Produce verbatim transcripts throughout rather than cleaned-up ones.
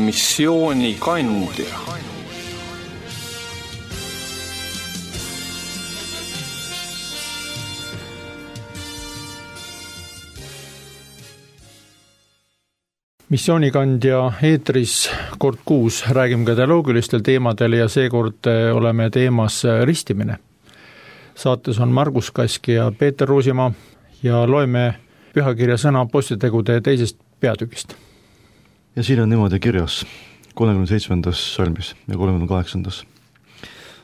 Missioonikandja. Missioonikandja eetris kord kuus räägime ka teoloogilistel teemadel ja seekord oleme teemas ristimine. Saates on Margus Kaski ja Peeter Ruusimaa ja loeme pühakirja sõna apostlitegude teisest peatükist. Ja siin on niimoodi kirjas kolmekümne seitsmendas salmis ja kolmekümne kaheksandas.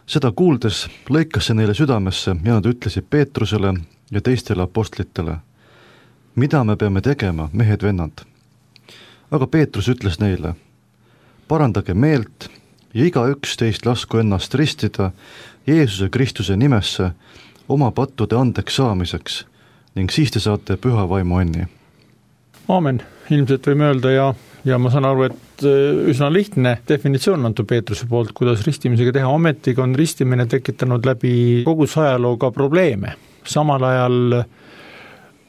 Seda kuuldes lõikas see neile südamesse ja nad ütlesid Peetrusele ja teistele apostlitele: mida me peame tegema, mehed vennad? Aga Peetrus ütles neile: parandage meelt ja igaüks teist lasku ennast ristida Jeesuse Kristuse nimesse oma pattude andeks saamiseks ning siis te saate püha vaimu õnni. Aamen. Ilmselt võime öelda ja, ja ma saan aru, et üsna lihtne definitsioon antud Peetruse poolt, kuidas ristimisega teha. Ometiga on ristimine tekitanud läbi kogu ajalooga probleeme. Samal ajal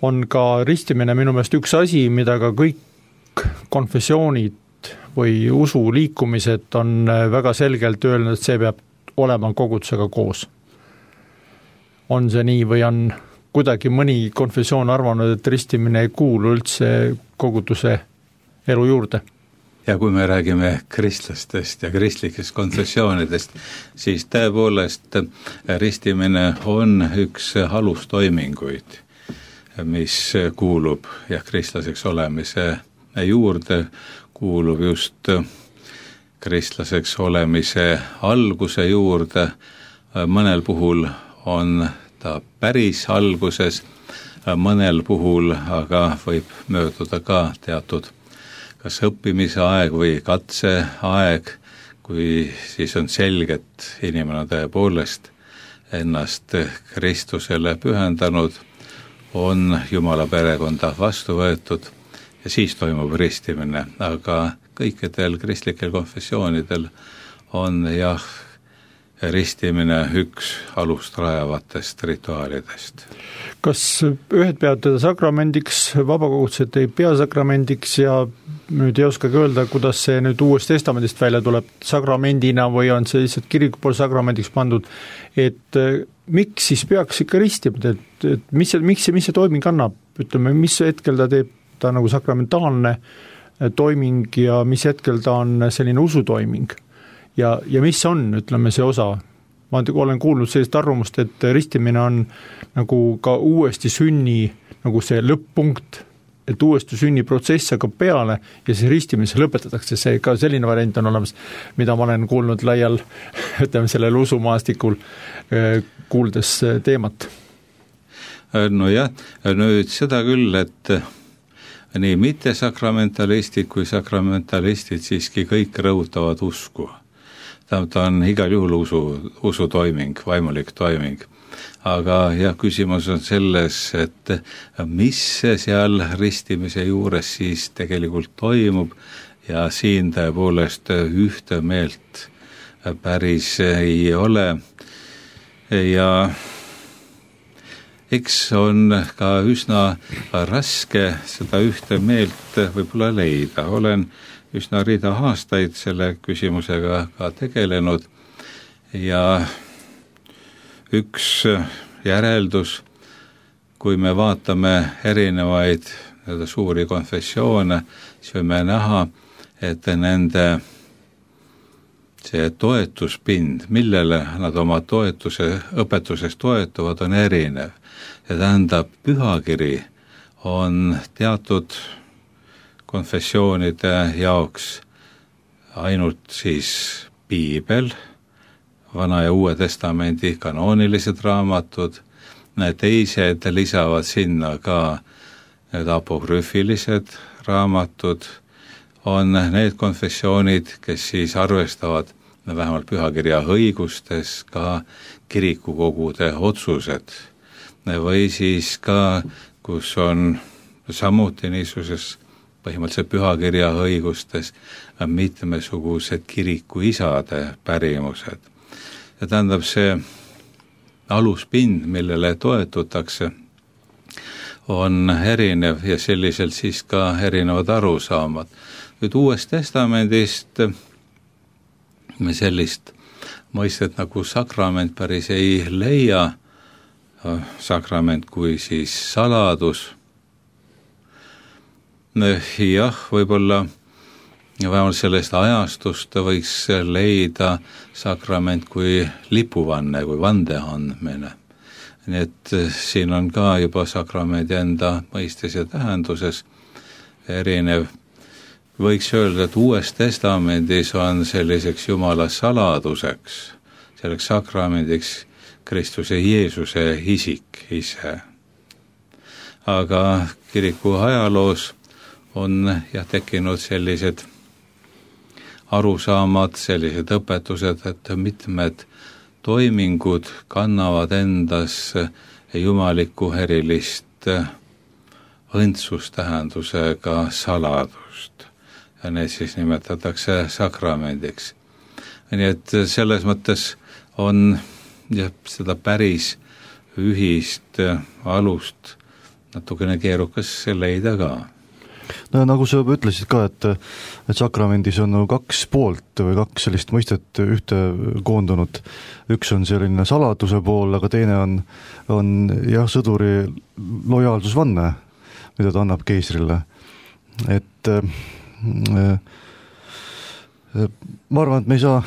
on ka ristimine minu meelest üks asi, mida ka kõik konfessioonid või usuliikumised on väga selgelt öelnud, et see peab olema kogudusega koos. On see nii või on kuidagi mõni konfessioon arvanud, et ristimine ei kuulu üldse koguduse elu juurde? Ja kui me räägime kristlastest ja kristlikest konfessioonidest, siis tõepoolest ristimine on üks alustoiminguid, mis kuulub ja kristlaseks olemise juurde, kuulub just kristlaseks olemise alguse juurde. Mõnel puhul on ta päris alguses, mõnel puhul aga võib mööduda ka teatud kas õppimise aeg või katse aeg, kui siis on selge, et inimene tõepoolest ennast Kristusele pühendanud, on Jumala perekonda vastu võetud ja siis toimub ristimine. Aga kõikidel kristlikel konfessioonidel on jah, ristimine üks alust rajavatest rituaalidest. Kas ühed peavad teda sakramendiks, vabakogudused ei pea sakramendiks ja nüüd ei oskagi öelda, kuidas see nüüd uuest testamendist välja tuleb sakramendina või on see lihtsalt kiriku pool sakramendiks pandud, et miks siis peaks ikka ristimine, et, et mis see, miks see, mis see toiming annab, ütleme, mis hetkel ta teeb ta nagu sakramentaalne toiming ja mis hetkel ta on selline usutoiming? Ja, ja mis on, ütleme, see osa? Ma olen kuulnud sellist arvamust, et ristimine on nagu ka uuesti sünni, nagu see lõpp-punkt, et uuesti sünni protsess hakkab peale ja see ristimise lõpetatakse. See ka selline variant on olemas, mida ma olen kuulnud laial, ütleme, sellel usumaastikul kuuldes teemat. No jah, nüüd seda küll, et nii mittesakramentalistid kui sakramentalistid siiski kõik rõhutavad usku. Ta on igal juhul usu, usu toiming, vaimulik toiming. Aga jah, küsimus on selles, et mis seal ristimise juures siis tegelikult toimub ja siin tõepoolest ühte meelt päris ei ole. Ja eks on ka üsna raske seda ühte meelt võib-olla leida. Olen üsna rida aastaid selle küsimusega ka tegelenud ja üks järeldus, kui me vaatame erinevaid suuri konfessioone, siis võime näha, et nende see toetuspind, millele nad oma toetuse, õpetuses toetuvad, on erinev. Ja tähendab, pühakiri on teatud konfessioonide jaoks ainult siis piibel, Vana ja Uue Testamendi kanoonilised raamatud, need teised lisavad sinna ka need apokrüfilised raamatud, on need konfessioonid, kes siis arvestavad vähemalt pühakirja õigustes ka kirikukogude otsused või siis ka, kus on samuti niisuguses põhimõtteliselt pühakirja õigustes mitmesugused kirikuisade pärimused. Ja tähendab see aluspind, millele toetutakse, on erinev ja selliselt siis ka erinevad arusaamad. nüüd Uuest Testamendist me sellist mõistet nagu sakrament päris ei leia, sakrament kui siis saladus. Jah, võib-olla vähemalt sellest ajastust võiks leida sakrament kui lipuvanne, kui vande andmine. Nii et siin on ka juba sakramendi enda mõistes ja tähenduses erinev. Võiks öelda, et Uues Testamendis on selliseks Jumala saladuseks, selleks sakramendiks Kristuse Jeesuse isik ise. Aga kiriku ajaloos on jah tekkinud sellised arusaamad, sellised õpetused, et mitmed toimingud kannavad endas jumalikku erilist õndsustähendusega saladust. Ja need siis nimetatakse sakramendiks. Nii et selles mõttes on jah, seda päris ühist alust natukene keerukas leida ka. No nagu sa ütlesid ka, et, et sakramendis on kaks poolt või kaks sellist mõistet ühte koondunud. Üks on selline saladuse pool, aga teine on, on jah, sõduri lojaalsusvanne, mida ta annab keisrile. Et ma arvan, et me ei saa,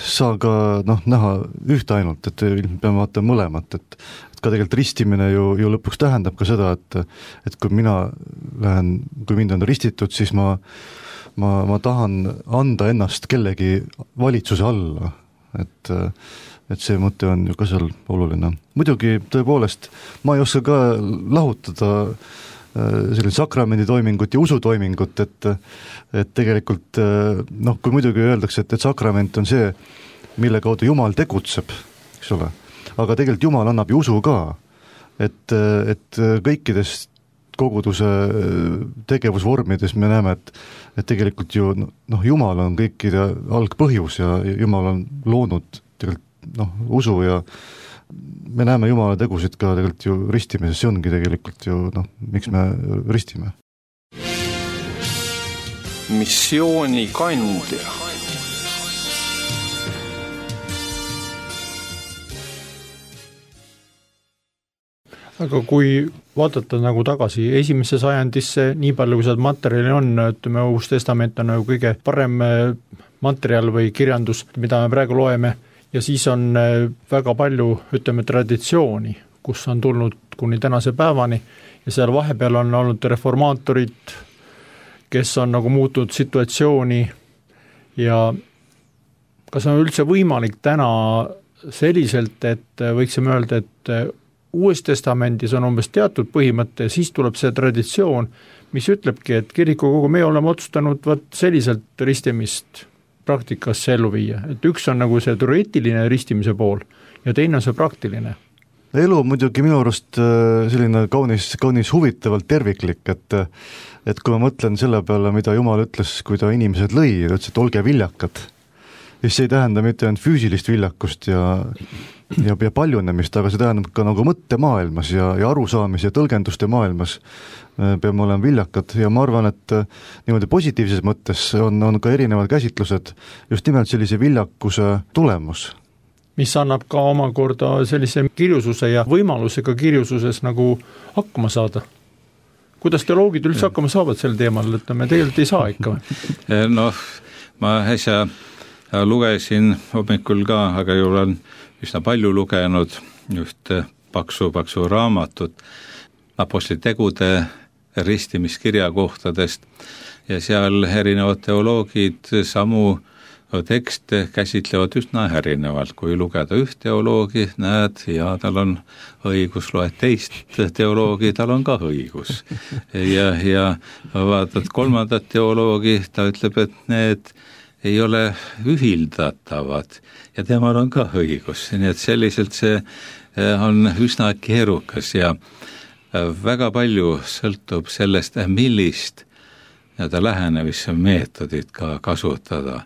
saa ka noh, näha ühte ainult, et peame vaatama mõlemat, et, et ka tegelikult ristimine ju, ju lõpuks tähendab ka seda, et, et kui mina lähen, kui mind on ristitud, siis ma, ma, ma tahan anda ennast kellegi valitsuse alla, et, et see mõte on ju ka seal oluline. Muidugi tõepoolest, ma ei oska ka lahutada selline sakramendi toimingut ja usutoimingut, et, et tegelikult noh, kui muidugi öeldakse, et, et sakrament on see, mille kaudu Jumal tegutseb, eks ole, aga tegelikult Jumal annab ju usu ka, et, et kõikides koguduse tegevusvormides me näeme, et, et tegelikult ju noh, Jumal on kõikide algpõhjus ja Jumal on loonud tegelikult noh, usu ja me näeme Jumala tegusid ka tegelikult ju ristimises, see ongi tegelikult ju noh, miks me ristime. Missiooni kandja. Aga kui vaadata nagu tagasi esimesse sajandisse, nii palju kui seda materjali on, ütleme, Uus Testament on nagu kõige parem materjal või kirjandus, mida me praegu loeme, ja siis on väga palju, ütleme, traditsiooni, kus on tulnud kuni tänase päevani ja seal vahepeal on olnud reformaatorid, kes on nagu muutunud situatsiooni ja kas on üldse võimalik täna selliselt, et võiksime öelda, et Uues Testamendis on umbes teatud põhimõte ja siis tuleb see traditsioon, mis ütlebki, et kirikukogu me oleme otsustanud võt selliselt ristimist praktikasse ellu viia, et üks on nagu see teoreetiline ristimise pool ja teine on see praktiline. Elu muidugi minu arust selline kaunis, kaunis huvitavalt terviklik, et, et kui ma mõtlen selle peale, mida Jumal ütles, kui ta inimesed lõi, ta ütles, et olge viljakad, siis see ei tähenda mitte ainult füüsilist viljakust ja, ja, ja paljunemist, aga see tähendab ka nagu mõttemaailmas ja, ja arusaamis ja tõlgenduste maailmas peame olema viljakad ja ma arvan, et niimoodi positiivses mõttes on, on ka erinevad käsitlused just nimelt sellise viljakuse tulemus. Mis annab ka omakorda sellise kirjususe ja võimalusega kirjususes nagu hakkama saada. Kuidas teoloogid üldse hakkama saavad sel teemal, et me tegelikult ei saa ikka? Noh, ma äsja lugesin hommikul ka, aga ju olen üsna palju lugenud just paksu, paksu raamatut apostlitegude ristimiskirjakohtadest ja seal erinevad teoloogid samu tekste käsitlevad üsna erinevalt, kui lugeda üht teoloogi, näed, ja tal on õigus, loed teist teoloogi, tal on ka õigus. Ja, ja vaatad kolmandat teoloogi, ta ütleb, et need ei ole ühildatavad ja temal on ka õigus, nii et selliselt see on üsna keerukas ja väga palju sõltub sellest, millist nii-öelda lähenemismeetodit ka kasutada,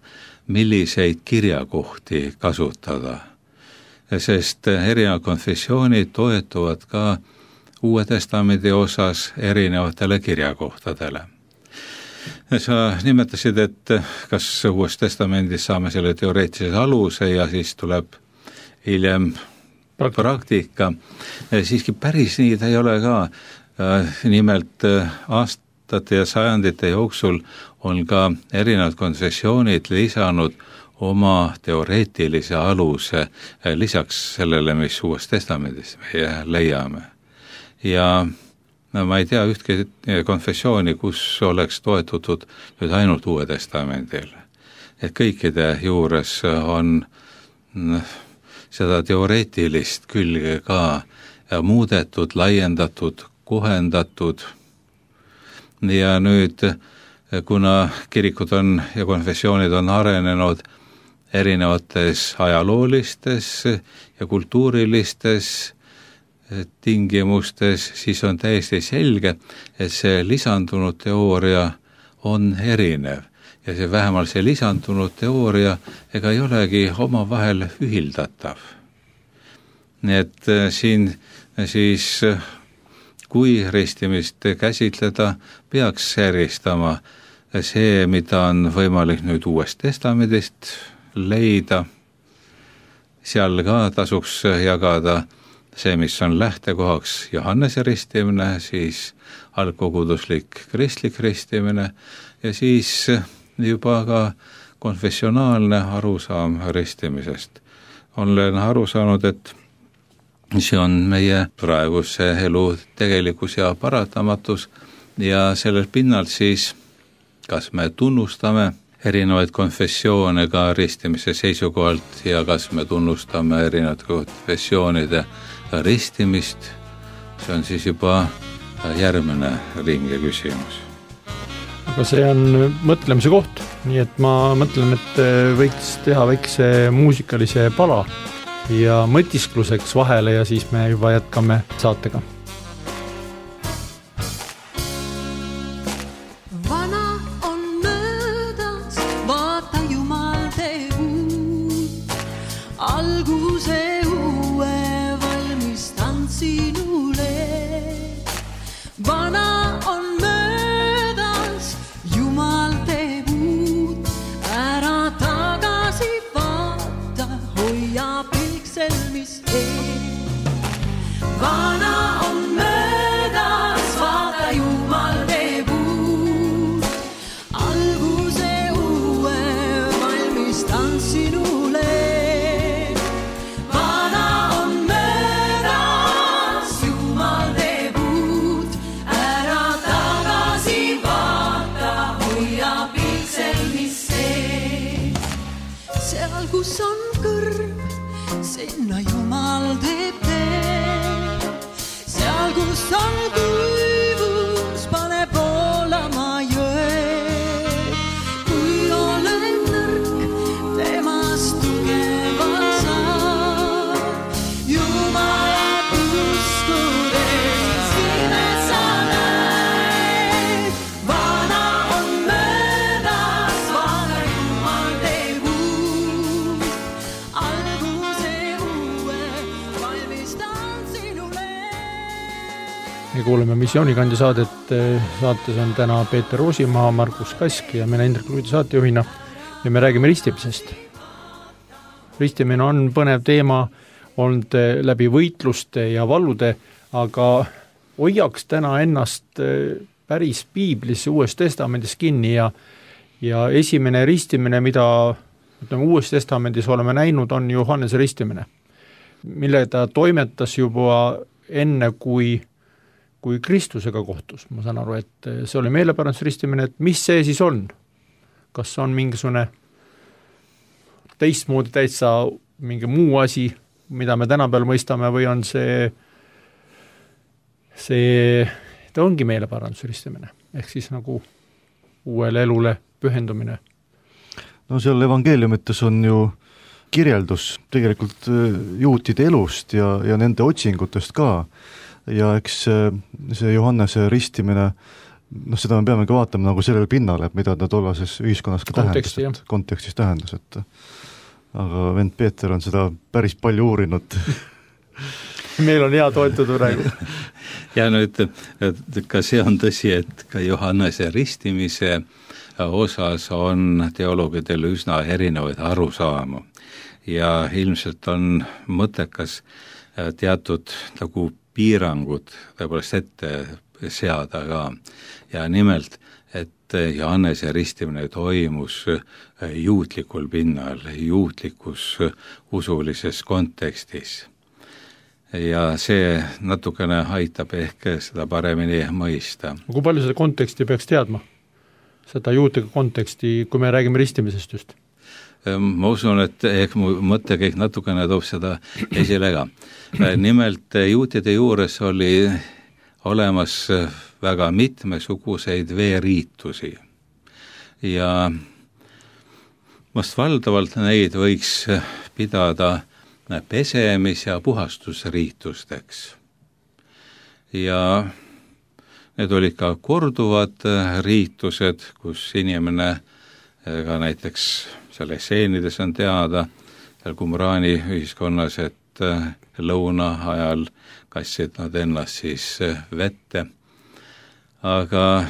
milliseid kirjakohti kasutada, sest erinevad konfessioonid toetuvad ka Uue Testamendi osas erinevatele kirjakohtadele. sa nimetasid, et kas Uues Testamendis saame selle teoreetilise aluse ja siis tuleb hiljem praktika, praktika. Siiski päris nii ta ei ole ka. Nimelt aastate ja sajandite jooksul on ka erinevad konfessioonid lisanud oma teoreetilise aluse lisaks sellele, mis Uues Testamendis meie leiame. Ja no ma ei tea ühtki konfessiooni, kus oleks toetutud nüüd ainult Uue Testamendile. Et kõikide juures on seda teoreetilist külge ka muudetud, laiendatud, kohendatud. Ja nüüd, kuna kirikud on ja konfessioonid on arenenud erinevates ajaloolistes ja kultuurilistes tingimustes, siis on täiesti selge, et see lisandunud teooria on erinev. Ja see vähemalt see lisandunud teooria ega ei olegi omavahel ühildatav. Nii et siin siis, kui ristimist käsitleda, peaks eristama see, mida on võimalik nüüd Uuest Testamendist leida. Seal ka tasuks jagada see, mis on lähtekohaks Johannese ristimine, siis algkoguduslik kristlik ristimine ja siis juba ka konfessionaalne arusaam ristimisest. Olen aru saanud, et see on meie praeguse elu tegelikkus ja paratamatus ja sellel pinnalt siis, kas me tunnustame erinevaid konfessioone ka ristimise seisukohalt ja kas me tunnustame erinevate konfessioonide ristimist, see on siis juba järgmine ringe küsimus. Aga see on mõtlemise koht, nii et ma mõtlen, et võiks teha väikse muusikalise pala ja mõtiskluseks vahele ja siis me juba jätkame saatega. Kuuleme Missioonikandja saadet, saates on täna Peeter Roosimaa, Markus Kask ja mina Indrek Luidi saatejuhina ja me räägime ristimisest. Ristimine on põnev teema olnud läbi võitluste ja vallude, aga hoiaks täna ennast päris piiblis Uues Testamendis kinni ja, ja esimene ristimine, mida ütleme, Uues Testamendis oleme näinud, on Johannese ristimine, mille ta toimetas juba enne, kui kui Kristusega kohtus. Ma saan aru, et see oli meeleparandusristimine, et mis see siis on? Kas on mingisugune teistmoodi täitsa mingi muu asi, mida me tänapäeval mõistame, või on see, see ta ongi meeleparandusristimine, ehk siis nagu uuele elule pühendumine? No seal evangeeliumites on ju kirjeldus tegelikult juutide elust ja, ja nende otsingutest ka. Ja eks see Johannese ristimine, noh seda me peamegi vaatama nagu sellel pinnale, et mida ta tollases ühiskonnas ka Konteksti, tähendas, et, kontekstis tähendas, et aga vend Peeter on seda päris palju uurinud. Meil on hea toetuda praegu. ja nüüd ka see on tõsi, et ka Johannese ristimise osas on teoloogidel üsna erinevaid arusaamu ja ilmselt on mõttekas teatud nagu piirangud tõepoolest ette seada ka ja nimelt, et Johannese ristimine toimus juutlikul pinnal, juutlikus usulises kontekstis. Ja see natukene aitab ehk seda paremini mõista. Kui palju seda konteksti peaks teadma? Seda juutlikku konteksti, kui me räägime ristimisest just? Ma usun, et ehk mu mõttekäik natukene toob seda esile ka. Nimelt juutide juures oli olemas väga mitmesuguseid veeriitusi ja vast valdavalt neid võiks pidada pesemis- ja puhastusriitusteks. Ja need olid ka korduvad riitused, kus inimene ka näiteks seal esseenides on teada, seal Qumrani ühiskonnas, et lõuna ajal kassid nad ennast siis vette. Aga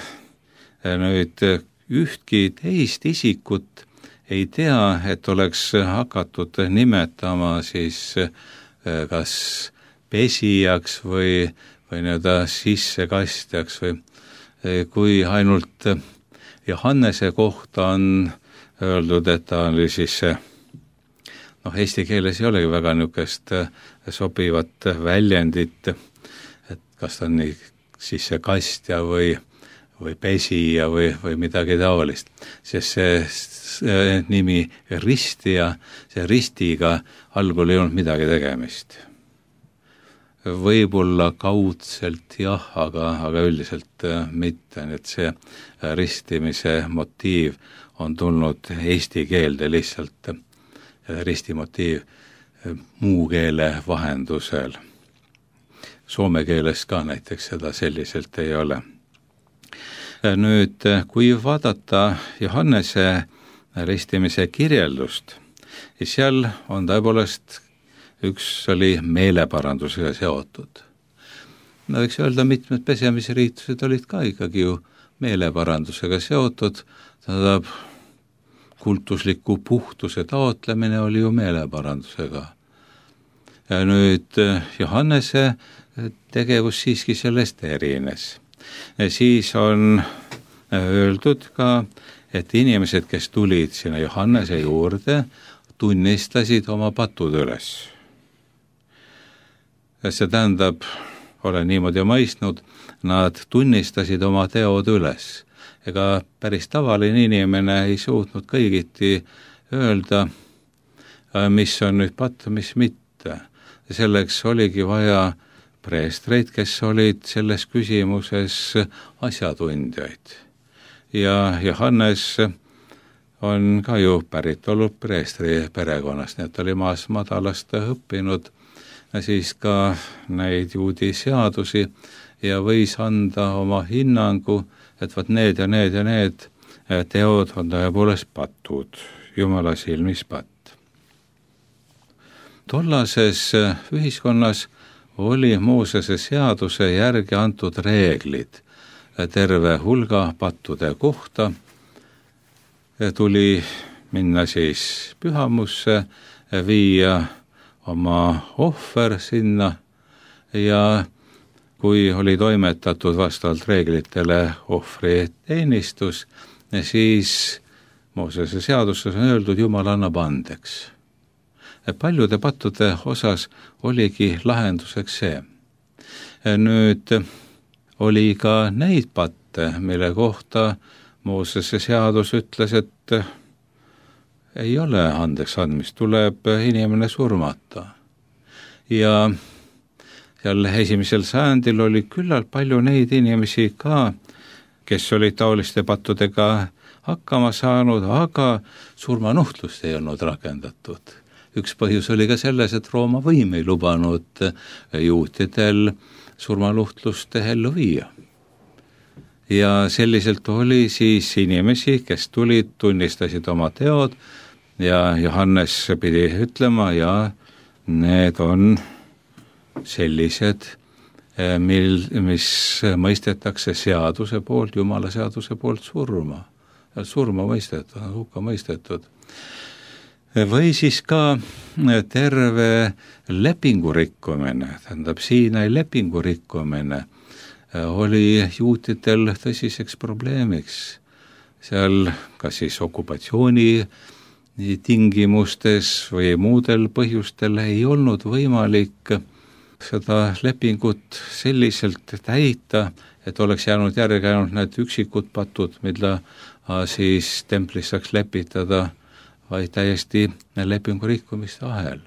nüüd ühtki teist isikut ei tea, et oleks hakatud nimetama siis kas pesijaks või, või nii-öelda sissekastjaks või kui ainult Johannese kohta on öeldud, et ta oli siis noh, eesti keeles ei olegi väga niisugust sobivat väljendit, et kas ta on nii sissekastja või, või pesija või, või midagi taolist, sest see, see nimi ristija, see ristiga algul ei olnud midagi tegemist. Võib-olla kaudselt jah, aga, aga üldiselt mitte, et see ristimise motiiv on tulnud eesti keelde lihtsalt, ristimotiiv muu keele vahendusel. Soome keeles ka näiteks seda selliselt ei ole. Nüüd, kui vaadata Johannese ristimise kirjeldust, siis seal on tõepoolest üks oli meeleparandusega seotud. No võiks öelda, mitmed pesemisriitused olid ka ikkagi ju meeleparandusega seotud, tähendab, kultusliku puhtuse taotlemine oli ju meeleparandusega. Ja nüüd Johannese tegevus siiski sellest erines. Ja siis on öeldud ka, et inimesed, kes tulid sinna Johannese juurde, tunnistasid oma patud üles. See tähendab, olen niimoodi mõistnud, nad tunnistasid oma teod üles. Ega päris tavaline inimene ei suutnud kõigiti öelda, mis on nüüd patt, mis mitte. Selleks oligi vaja preestreid, kes olid selles küsimuses asjatundjaid. Ja Johannes on ka ju pärit olnud preestri perekonnast, nii et oli maas madalast õppinud siis ka neid juudi seadusi ja võis anda oma hinnangu, et võt need ja need ja need teod on tõepoolest patud, Jumala silmis patt. Tollases ühiskonnas oli Moosese seaduse järgi antud reeglid terve hulga pattude kohta. Tuli minna siis pühamusse, viia oma ohver sinna ja kui oli toimetatud vastavalt reeglitele ohvri teenistus, siis Moosese seaduses on öeldud, Jumal annab andeks. Paljude pattude osas oligi lahenduseks see. Nüüd oli ka neid patte, mille kohta Moosese seadus ütles, et ei ole andeks andmist, tuleb inimene surmata. Ja seal esimesel sajandil oli küllalt palju neid inimesi ka, kes olid taoliste pattudega hakkama saanud, aga surmanuhtlust ei olnud rakendatud. Üks põhjus oli ka selles, et Rooma võim ei lubanud juutidel surmanuhtlust ellu viia. Ja selliselt oli siis inimesi, kes tulid, tunnistasid oma teod ja Johannes pidi ütlema ja need on sellised, mil, mis mõistetakse seaduse poolt, Jumala seaduse poolt surma. Surma mõistetud, hukka mõistetud. Või siis ka terve lepingu rikkumine, tähendab Siinai lepingu rikkumine oli juutidel tõsiseks probleemiks. Seal kas siis okupatsiooni tingimustes või muudel põhjustel ei olnud võimalik seda lepingut selliselt täita, et oleks jäänud järgi ainult need üksikud patud, mida siis templis saaks lepitada, vaid täiesti lepingu rikkumiste ahel.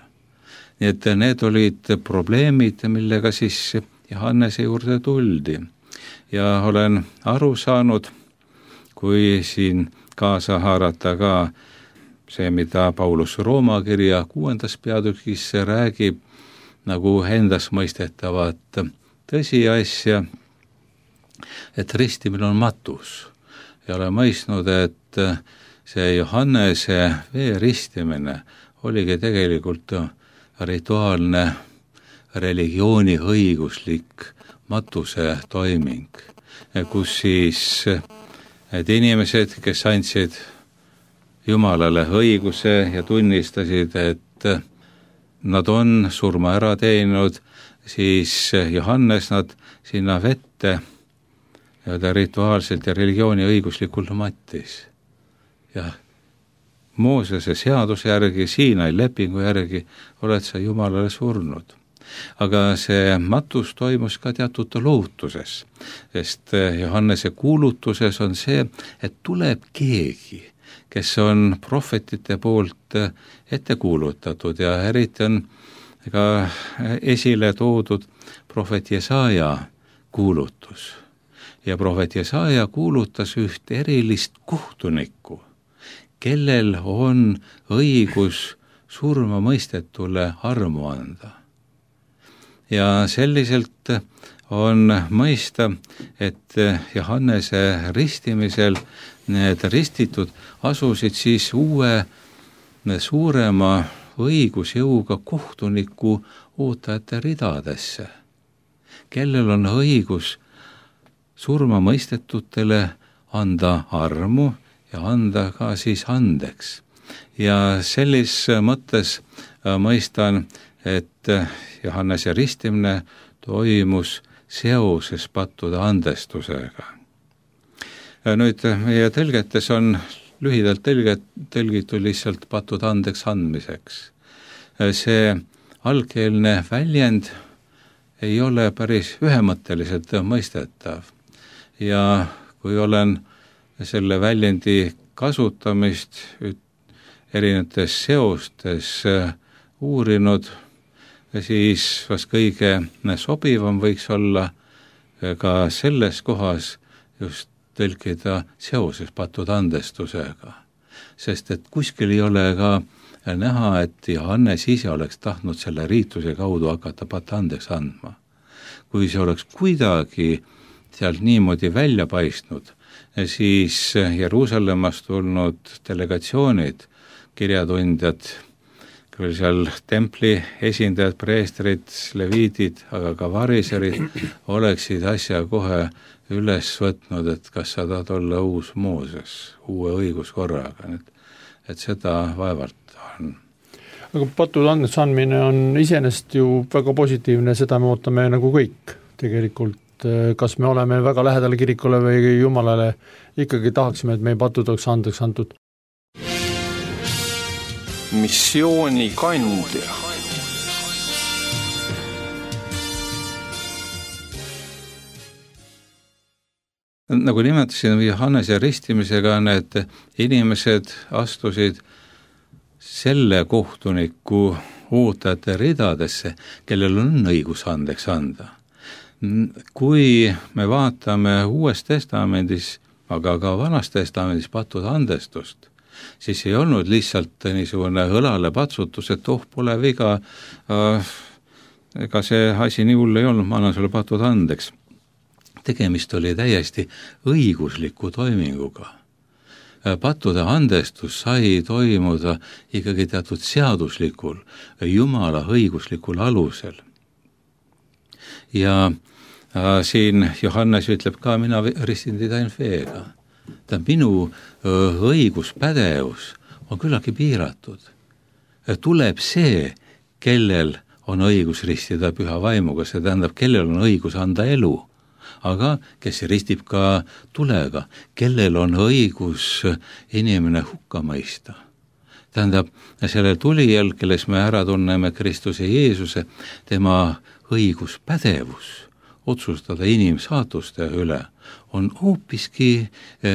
Nii et need olid probleemid, millega siis Johannese juurde tuldi. Ja olen aru saanud, kui siin kaasa haarata ka see, mida Paulus Rooma kirja kuuendas peatükis räägib, nagu endas mõistetavat tõsiasja, et ristimine on matus. Ja olen mõistnud, et see Johannese vee ristimine oligi tegelikult rituaalne religiooni õiguslik matuse toiming, kus siis need inimesed, kes andsid Jumalale õiguse ja tunnistasid, et nad on surma ära teeninud, siis Johannes nad sinna vette ja ta rituaalselt ja religiooni õiguslikult mattis. Ja Moosese seaduse järgi, Siinai lepingu järgi oled sa Jumalale surnud. Aga see matus toimus ka teatud lootuses, sest Johannese kuulutuses on see, et tuleb keegi, kes on prohvetite poolt ette kuulutatud ja eriti on ka esile toodud prohvet Jesaja kuulutus. Ja prohvet Jesaja kuulutas üht erilist kohtunikku, kellel on õigus surma mõistetule armu anda. Ja selliselt on mõista, et Johannese ristimisel need ristitud asusid siis uue suurema õigusjõuga kohtuniku ootajate ridadesse, kellel on õigus surma mõistetutele anda armu ja anda ka siis andeks. Ja sellis mõttes mõistan, et Johannese ristimine toimus seoses pattude andestusega. Nüüd meie tõlgetes on lühidalt tõlget, tõlgitud lihtsalt pattude andeks andmiseks. See algkeelne väljend ei ole päris ühemõtteliselt mõistetav. Ja kui olen selle väljendi kasutamist erinevates seostes uurinud, siis vast kõige sobivam võiks olla ka selles kohas just tõlkida seoses pattude andestusega. Sest et kuskil ei ole ka näha, et Johannes ise oleks tahtnud selle riituse kaudu hakata patte andeks andma. Kui see oleks kuidagi sealt niimoodi välja paistnud, siis Jeruusalemmast tulnud delegatsioonid, kirjatundjad, küll seal templi esindajad, preestrid, leviidid, aga ka variserid oleksid asja kohe üles võtnud, et kas sa tahad olla uus Mooses, uue õiguskorraga, et, et seda vaevalt on. Aga pattude andeks andmine on iseenesest ju väga positiivne, seda me ootame nagu kõik tegelikult. Kas me oleme väga lähedal kirikule või Jumalale, ikkagi tahaksime, et meie patud oleks andeks antud. Missiooni kandja. Nagu nimetasin, Johannese ristimisega need inimesed astusid selle kohtuniku ootajate ridadesse, kellel on õigus andeks anda. Kui me vaatame Uues Testamendis, aga ka Vanas Testamendis pattude andestust, siis ei olnud lihtsalt niisugune õlale patsutus, et oh, pole viga, ega see asi nii hull ei olnud, ma annan sulle patud andeks. Tegemist oli täiesti õigusliku toiminguga. Pattude andestus sai toimuda ikkagi teatud seaduslikul, Jumala õiguslikul alusel. Ja siin Johannes ütleb ka, mina ristin teid ainult veega. Ta minu õiguspädevus on küllagi piiratud. Tuleb see, kellel on õigus ristida püha vaimuga, see tähendab, kellel on õigus anda elu, aga kes ristib ka tulega, kellel on õigus inimene hukka mõista. Tähendab, selle tulijal, kelles me ära tunneme Kristuse Jeesuse, tema õiguspädevus otsustada inimsaatuste üle on hoopiski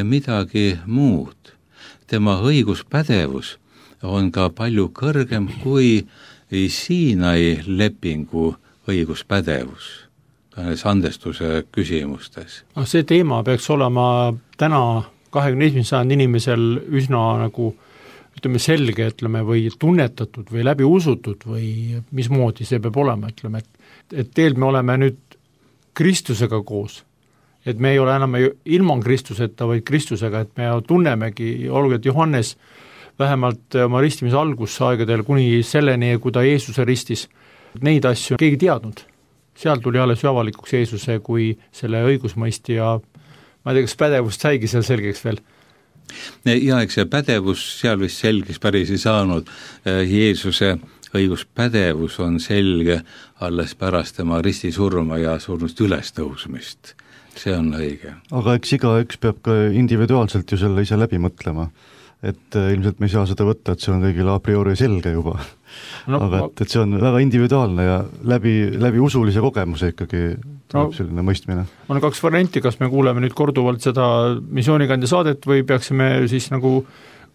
midagi muud. Tema õiguspädevus on ka palju kõrgem kui Siinai lepingu õiguspädevus andestuse küsimustes. See teema peaks olema täna kahekümne esimese sajandi inimesel üsna nagu ütleme selge, ütleme, või tunnetatud või läbi usutud või mismoodi see peab olema, ütleme, et, et teel me oleme nüüd Kristusega koos, et me ei ole enam ilma Kristuseta, vaid Kristusega, et me tunnemegi, olgu, et Johannes vähemalt oma ristimise algusaegadel kuni selleni, kui ta Jeesuse ristis, neid asju keegi teadnud. Seal tuli alles ju avalikuks Jeesuse kui selle õigusmõisti ja ma ei tea, kas pädevust saigi seal selgeks veel? Ja eks see pädevus seal vist selgeks päris ei saanud. Jeesuse õiguspädevus on selge alles pärast tema ristisurma ja surnust ülestõusmist. See on õige. Aga eks iga üks peab ka individuaalselt ju selle ise läbi mõtlema. Et ilmselt me ei saa seda võtta, et see on kõigile a priori selge juba. No, aga et, et see on väga individuaalne ja läbi, läbi usulise kogemuse ikkagi tuleb no, selline mõistmine. On kaks varianti, kas me kuuleme nüüd korduvalt seda missioonikandja saadet või peaksime siis nagu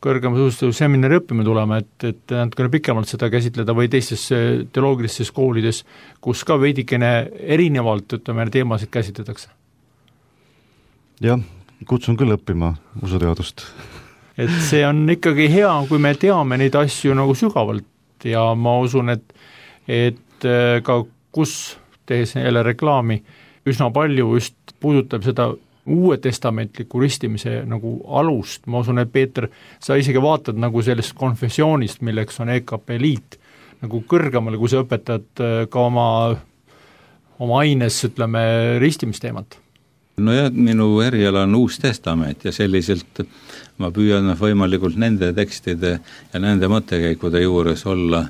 kõrgemas usustuses seminari õppima tulema, et, et natukene pikemalt seda käsitleda või teistes teoloogilistes koolides, kus ka veidikene erinevalt ütleme, teemasid käsitletakse. Jah, kutsun küll õppima usuteadust. Et see on ikkagi hea, kui me teame neid asju nagu sügavalt ja ma usun, et, et ka kus tehes jälle reklaami üsna palju just puudutab seda uue testamentliku ristimise nagu alust. Ma usun, et Peeter, sa isegi vaatad nagu sellest konfessioonist, milleks on E K P liit, nagu kõrgemale, kui sa õpetad ka oma, oma aines, ütleme, ristimisteemat. No ja minu eriala on Uus Testament ja selliselt ma püüan võimalikult nende tekstide ja nende mõttekäikude juures olla,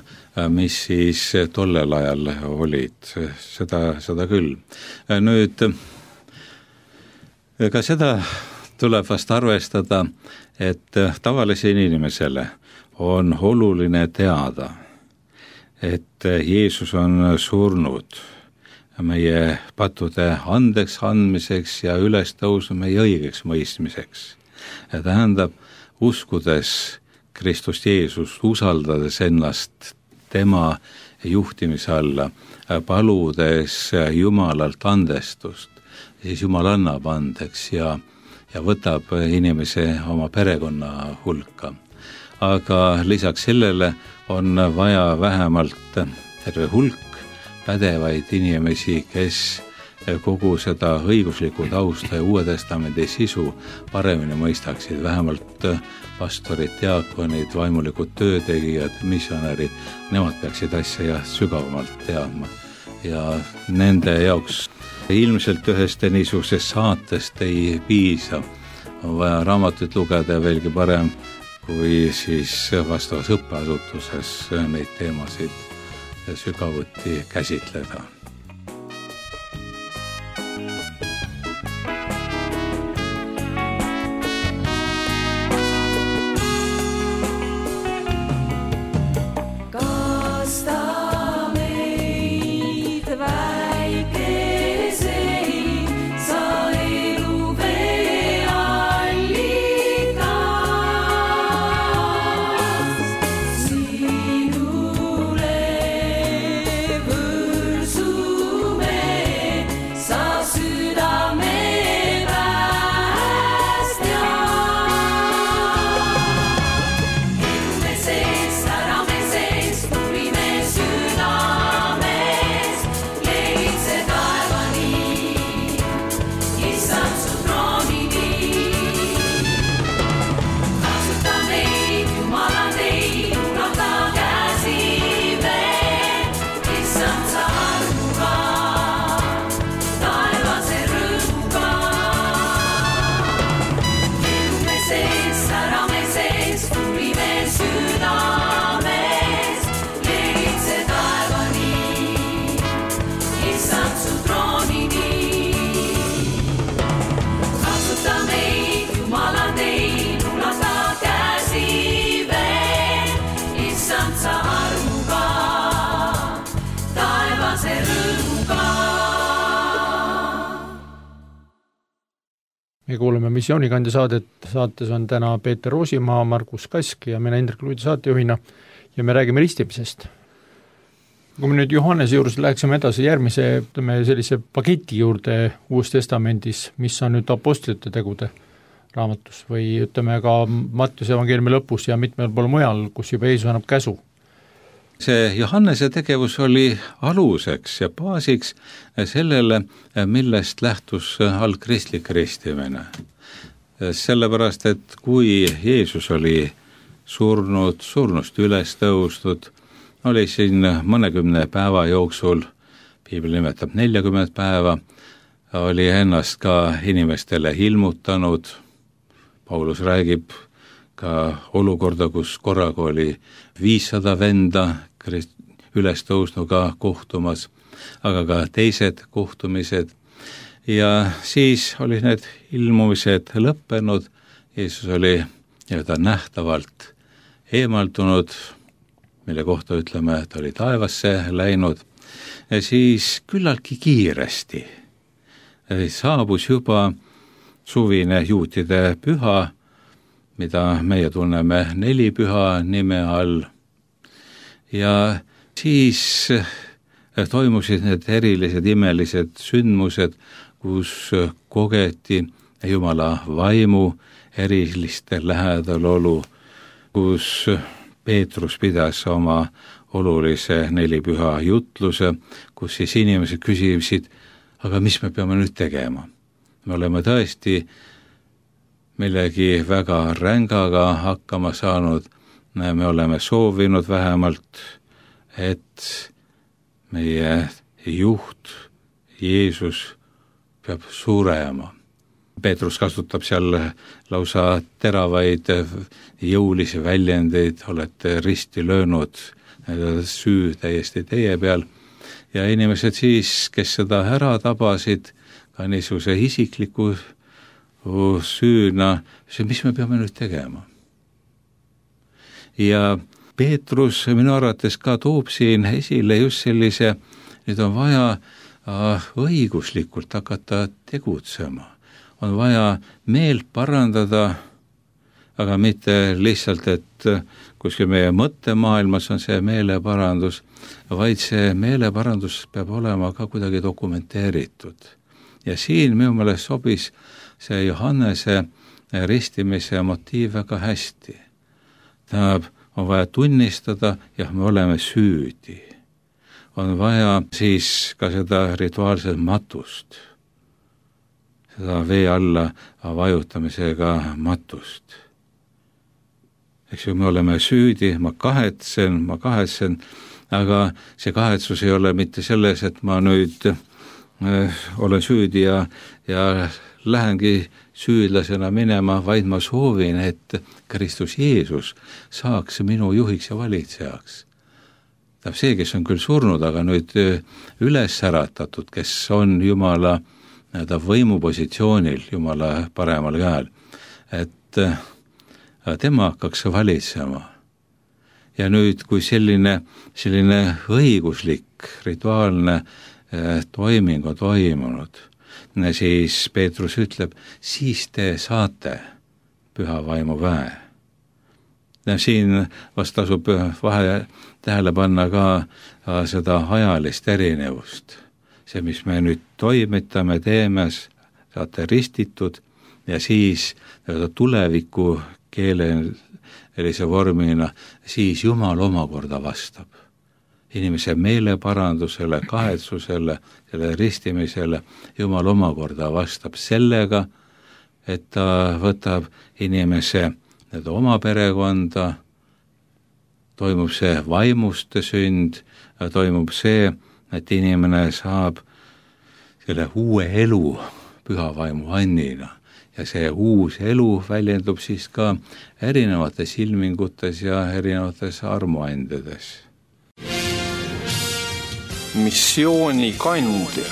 mis siis tollel ajal olid, seda, seda küll. Nüüd, ka seda tuleb vast arvestada, et tavalisele inimesele on oluline teada, et Jeesus on surnud meie pattude andeks andmiseks ja ülestõusu meie õigeks mõistmiseks. Ja tähendab, uskudes Kristust Jeesust, usaldades ennast tema juhtimise alla, paludes Jumalalt andestust, siis Jumal annab andeks ja, ja võtab inimese oma perekonna hulka. Aga lisaks sellele on vaja vähemalt terve hulk pädevaid inimesi, kes kogu seda õiguslikku tausta ja Uue Testamendi sisu paremini mõistaksid, vähemalt pastorid, diaakonid, vaimulikud töötegijad, missionärid, nemad peaksid asja sügavamalt teadma. Ja nende jaoks ilmselt ühest niisugusest saatest ei piisa, on vaja raamatut lugeda veelgi parem, kui siis vastavas õppeasutuses neid teemasid sügavuti käsitleda. Sinule võrsu vabase rõõmuga. Me kuuleme Missioonikandja saadet, saates on täna Peeter Roosimaa, Margus Kask ja mina Indrek Luidi saatejuhina ja me räägime ristimisest. Kui me nüüd Johannese juures läheksime edasi järgmise ütleme, sellise paketi juurde Uues Testamendis, mis on nüüd apostlite tegude raamatus või ütleme ka Mattiuse evangeeliumi lõpus ja mitmel pool mujal, kus juba Jeesus annab käsu. See Johannese tegevus oli aluseks ja baasiks sellele, millest lähtus algkristlik ristimine. Sellepärast, et kui Jeesus oli surnud, surnust üles tõustud, oli siin mõnekümne päeva jooksul, piibel nimetab neljakümmet päeva, oli ennast ka inimestele ilmutanud. Paulus räägib ka olukorda, kus korraga oli viissada venda üles tõusnuga kohtumas, aga ka teised kohtumised. Ja siis oli need ilmumised lõppenud, Jeesus oli nii-öelda nähtavalt eemaldunud, mille kohta ütleme, et oli taevasse läinud, ja siis küllaltki kiiresti saabus juba suvine juutide püha, mida meie tunneme nelipüha nime all. Ja siis toimusid need erilised imelised sündmused, kus kogeti Jumala vaimu eriliste lähedalolu, kus Peetrus pidas oma olulise nelipüha jutluse, kus siis inimesed küsisid, aga mis me peame nüüd tegema? Me oleme tõesti millegi väga rängaga hakkama saanud, me oleme soovinud vähemalt, et meie juht Jeesus peab surema. Peetrus kasutab seal lausa teravaid jõulisi väljendeid, olete risti löönud, süü täiesti teie peal. Ja inimesed siis, kes seda ära tabasid, ka niisuguse isikliku süüna, mis me peame nüüd tegema? Ja Peetrus minu arvates ka toob siin esile just sellise, nüüd on vaja õiguslikult hakata tegutsema. On vaja meelt parandada, aga mitte lihtsalt, et kuskil meie mõttemaailmas on see meeleparandus, vaid see meeleparandus peab olema ka kuidagi dokumenteeritud. Ja siin minu meelest sobis see Johannese ristimise motiiv väga hästi. Tähendab, on vaja tunnistada, jah, me oleme süüdi. On vaja siis ka seda rituaalset matust, seda vee alla vajutamisega matust. Eks ju, me oleme süüdi, ma kahetsen, ma kahetsen, aga see kahetsus ei ole mitte selles, et ma nüüd äh, olen süüdi ja, ja lähengi süüdlasena minema, vaid ma soovin, et Kristus Jeesus saaks minu juhiks ja valitsejaks. Tähendab see, kes on küll surnud, aga nüüd üles äratatud, kes on Jumala võimupositsioonil, Jumala paremal käel, et tema hakkaks valitsema. Ja nüüd, kui selline, selline õiguslik, rituaalne toiming on toimunud, siis Peetrus ütleb, siis te saate püha vaimu väe. Ja siin vast tasub vahe tähele panna ka seda ajalist erinevust. See, mis me nüüd toimitame, teeme, saate ristitud ja siis tuleviku keelelise vormina, siis Jumal omakorda vastab. Inimese meeleparandusele, kahetsusele, selle ristimisele Jumal omakorda vastab sellega, et ta võtab inimese oma perekonda, toimub see vaimuste sünd, toimub see, et inimene saab selle uue elu püha vaimu annina. Ja see uus elu väljendub siis ka erinevates ilmingutes ja erinevates armuandedes. Missioonikandja.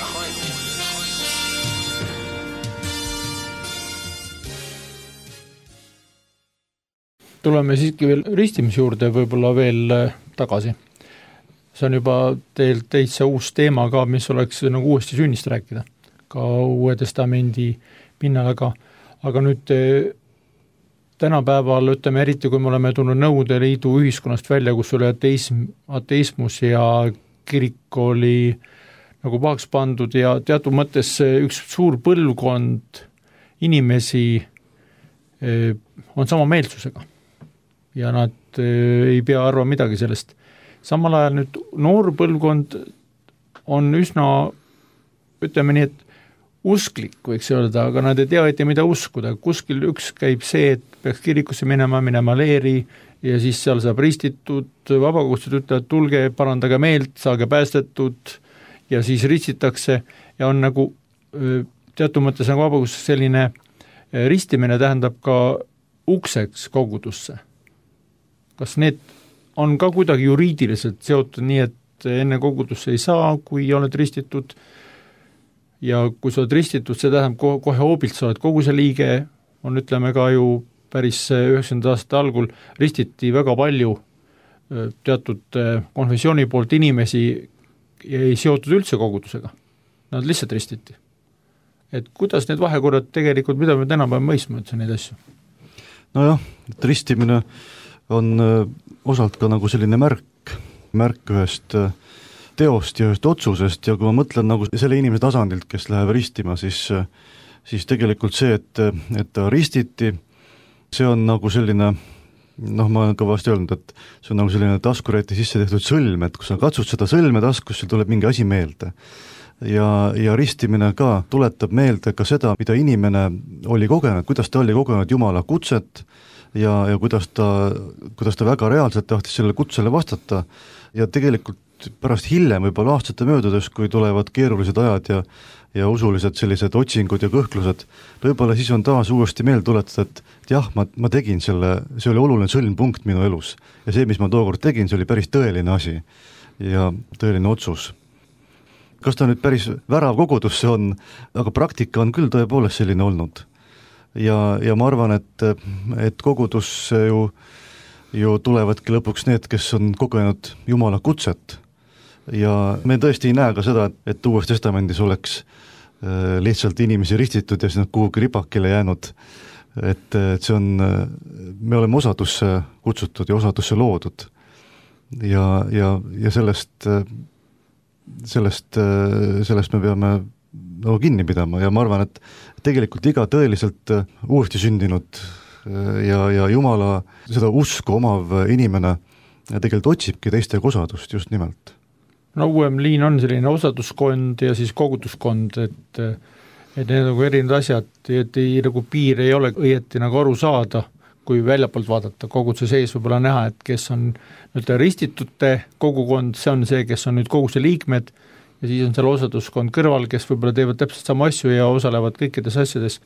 Tuleme siiski veel ristimise juurde võib-olla veel tagasi. see on juba teil täitsa uus teema ka, mis oleks nagu uuesti sünnist rääkida, ka Uue Testamendi pinnal, aga, aga nüüd tänapäeval, ütleme eriti, kui me oleme tulnud Nõukogude Liidu ühiskonnast välja, kus oli ateism, ateismus ja kirik oli nagu pahaks pandud ja teatud mõttes üks suur põlvkond inimesi on sama meelsusega ja nad ei pea arvama midagi sellest. Samal ajal nüüd noor põlvkond on üsna, ütleme nii, et usklik, võiks öelda, aga nad ei tea, et mida uskuda. Kuskil üks käib see, et peaks kirikusse minema, minema leeri ja siis seal saab ristitud, vabakohustused ütlevad, tulge, parandage meelt, saage päästetud ja siis ristitakse ja on nagu teatud mõttes nagu vabakohustus selline ristimine tähendab ka ukseks kogudusse. Kas need on ka kuidagi juriidiliselt seotud nii, et enne kogudusse ei saa, kui oled ristitud ja kui sa oled ristitud, see tähendab kohe hoobilt, sa oled koguse liige, on ütleme ka ju päris üheksakümnendate aastate algul ristiti väga palju teatud konfessiooni poolt inimesi ei seotud üldse kogudusega, nad lihtsalt ristiti. Et kuidas need vahekorrad tegelikult, mida me tänapäeval mõistma üldse neid asju? Nojah, et ristimine on osalt ka nagu selline märk, märk ühest teost ja ühest otsusest ja kui ma mõtlen nagu selle inimese tasandilt, kes läheb ristima, siis, siis tegelikult see, et, et ta ristiti, see on nagu selline, noh, ma olen ka vast öelnud, et see on nagu selline taskuräti sisse tehtud sõlm, et kui sa katsud seda sõlme taskus, sul tuleb mingi asi meelde. Ja, ja ristimine ka tuletab meelde ka seda, mida inimene oli kogenud, kuidas ta oli kogenud Jumala kutset ja, ja kuidas ta, kuidas ta väga reaalselt tahtis sellele kutsele vastata ja tegelikult pärast hiljem võib-olla aastate möödudes, kui tulevad keerulised ajad ja, ja usulised sellised otsingud ja kõhklused, võib-olla siis on taas uuesti meelde tuletada, et, et jah, ma, ma tegin selle, see oli oluline sõlmpunkt minu elus ja see, mis ma tookord tegin, see oli päris tõeline asi ja tõeline otsus. Kas ta nüüd päris värav kogudusse on, aga praktika on küll tõepoolest selline olnud. Ja, ja ma arvan, et, et kogudusse ju, ju tulevadki lõpuks need, kes on kogenud Jumala kutset. Ja me tõesti ei näe ka seda, et Uues Testamendis oleks lihtsalt inimesi ristitud ja siis nad kuhugi ripakile jäänud. Et, et see on, me oleme osadusse kutsutud ja osadusse loodud. Ja, ja, ja sellest sellest, sellest me peame no, kinni pidama ja ma arvan, et tegelikult iga tõeliselt uuesti sündinud ja, ja Jumala seda usku omav inimene tegelikult otsibki teistega osadust just nimelt. No uuem liin on selline osaduskond ja siis koguduskond, et, et need nagu erinevad asjad, et ei, nagu piir ei ole õieti nagu aru saada, kui väljapoolt vaadata, koguduse sees võib-olla näha, et kes on nüüd ristitute kogukond, see on see, kes on nüüd koguse liikmed ja siis on seal osaduskond kõrval, kes võib-olla teevad täpselt sama asju ja osalevad kõikides asjades.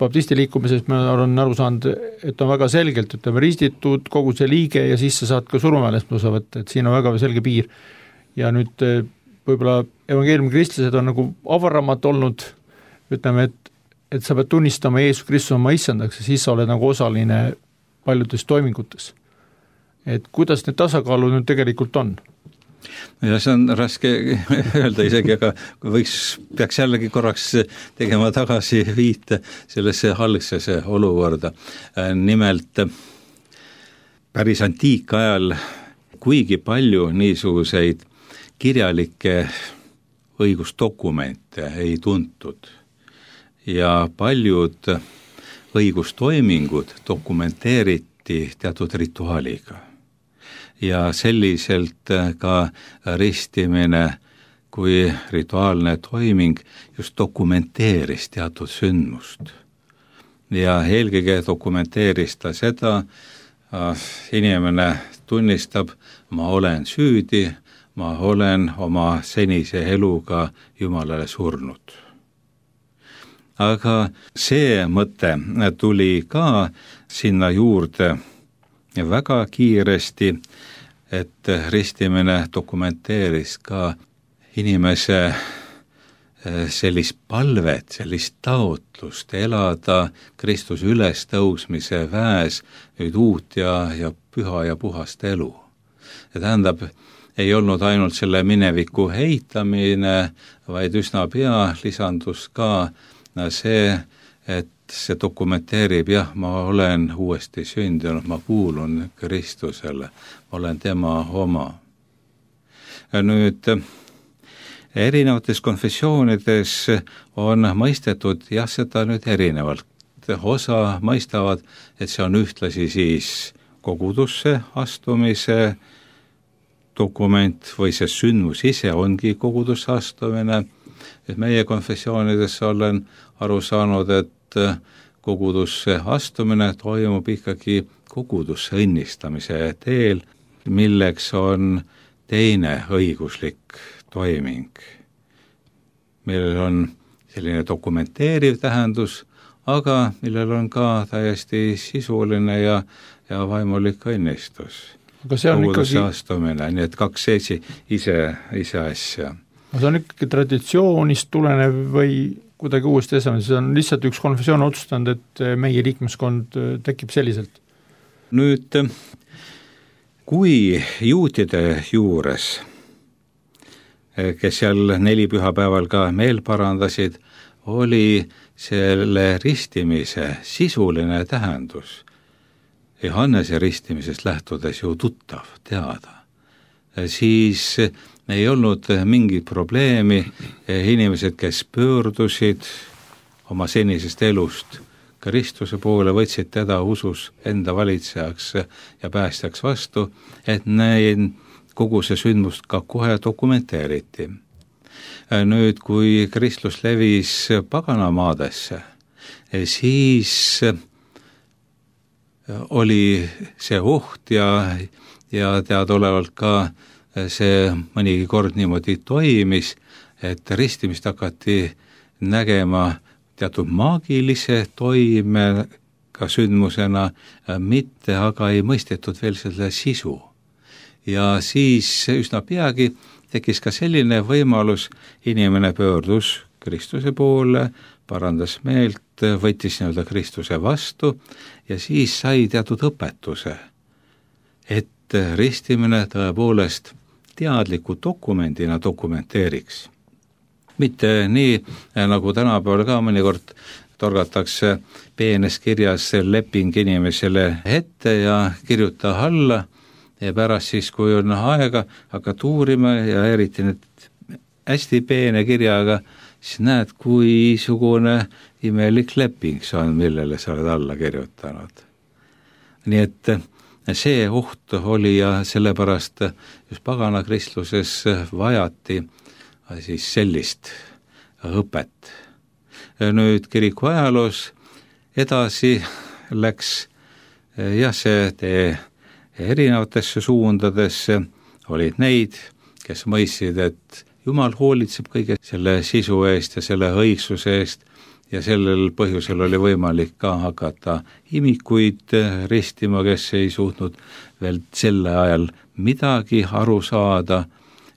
Baptisti liikumises ma olen aru saanud, et on väga selgelt, ütleme, ristitud koguse liige ja siis sa saad ka surmaväelest osa võtta, et siin on väga selge piir. Ja nüüd võib-olla evangeeliumi kristlased on nagu avaramad olnud, ütleme, et et sa pead tunnistama Jeesus Kristus oma issandaks ja siis sa oled nagu osaline paljudes toimingutes. Et kuidas need tasakaalud nüüd tegelikult on? Ja see on raske öelda isegi, aga võiks, peaks jällegi korraks tegema tagasi viite sellesse algsesse olukorda. Nimelt päris antiikajal kuigi palju niisuguseid kirjalikke õigusdokumente ei tuntud ja paljud õigustoimingud dokumenteeriti teatud rituaaliga. Ja selliselt ka ristimine kui rituaalne toiming just dokumenteeris teatud sündmust. Ja eelkõige dokumenteeris ta seda, inimene tunnistab, ma olen süüdi, ma olen oma senise eluga Jumalale surnud. Aga see mõte tuli ka sinna juurde väga kiiresti, et ristimine dokumenteeris ka inimese sellist palvet, sellist taotlust elada Kristuse ülestõusmise väes nüüd uut ja, ja püha ja puhast elu. Ja tähendab, ei olnud ainult selle mineviku heitamine, vaid üsna pea lisandus ka see, et see dokumenteerib, jah, ma olen uuesti sündinud, ma kuulun Kristusele, ma olen tema oma. Nüüd erinevates konfessioonides on mõistetud, jah, seda nüüd erinevalt. Osa mõistavad, et see on ühtlasi siis kogudusse astumise dokument või see sündmus ise ongi kogudusse astumine. Et meie konfessioonides olen aru saanud, et kogudusse astumine toimub ikkagi kogudusse õnnistamise teel, milleks on teine õiguslik toiming, millel on selline dokumenteeriv tähendus, aga millel on ka täiesti sisuline ja, ja vaimulik õnnistus. Aga see on kogudusse ikkagi... astumine, nii et kaks esi, ise, ise asja. See on ikkagi traditsioonist tulenev või kuidagi uuesti esamine, see on lihtsalt üks konfessioon otsustanud, et meie liikmeskond tekib selliselt. Nüüd, kui juutide juures, kes seal neli pühapäeval ka meel parandasid, oli selle ristimise sisuline tähendus Johannese ristimisest lähtudes ju tuttav, teada, siis ei olnud mingit probleemi, inimesed, kes pöördusid oma senisest elust Kristuse poole, võtsid teda usus enda valitsejaks ja päästjaks vastu, et neid kogu see sündmust ka kohe dokumenteeriti. Nüüd, kui kristlus levis paganamaadesse, siis oli see oht ja, ja teadaolevalt ka see mõnigi kord niimoodi toimis, et ristimist hakati nägema teatud maagilise toimega sündmusena, mitte aga ei mõistetud veel selle sisu. Ja siis üsna peagi tekkis ka selline võimalus, inimene pöördus Kristuse poole, parandas meelt, võttis nii-öelda Kristuse vastu ja siis sai teatud õpetuse, et ristimine tõepoolest teadliku dokumendina dokumenteeriks. Mitte nii, nagu tänapäeval ka mõnikord torgatakse peenes kirjas leping inimesele ette ja kirjuta alla ja pärast siis, kui on aega, hakkad uurima ja eriti nüüd hästi peene kirjaga, siis näed, kui sugune imelik leping see on, millele sa oled alla kirjutanud. Nii et see oht oli ja sellepärast just pagana kristluses vajati siis sellist õpet. Nüüd kiriku ajaloos edasi läks jah, see tee erinevatesse suundadesse, olid neid, kes mõistsid, et Jumal hoolitseb kõige selle sisu eest ja selle õigsuse eest ja sellel põhjusel oli võimalik ka hakata imikuid ristima, kes ei suutnud veel selle ajal midagi aru saada,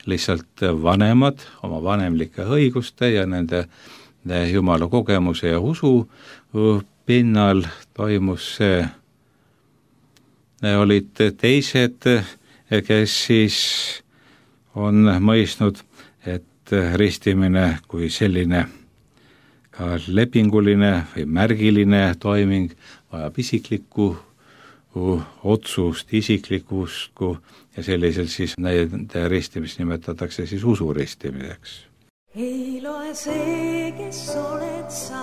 lihtsalt vanemad oma vanemlike õiguste ja nende Jumala kogemuse ja usu pinnal toimus see. Olid teised, kes siis on mõistnud, et ristimine kui selline ka lepinguline või märgiline toiming vajab isiklikku otsust, isiklikku ja sellisel siis nende ristimist nimetatakse siis usuristimiseks. Ei loe see, kes oled sa,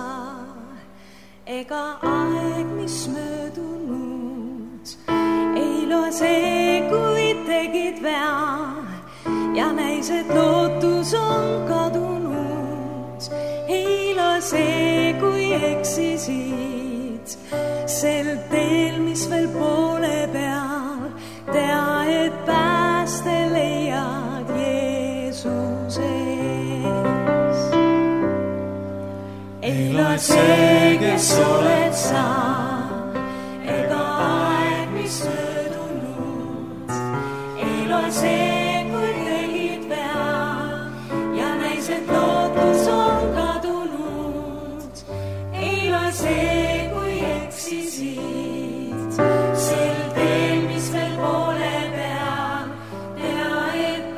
ega aeg, mis möödunud. Ei loe see, kui tegid vea ja näis, et lootus on kadunud. Ei loe see, kui eksisid sel teel, mis veel poole peal. Tea, et pääste leiad Jeesuses. Ei loe see, kes oled sa, ega aeg, mis möödunud. Ei loe see, kui tegid vea ja näis, et lootus on kadunud. Ei loe see, kui eksisid sel teel, mis veel poole peal. Tea, et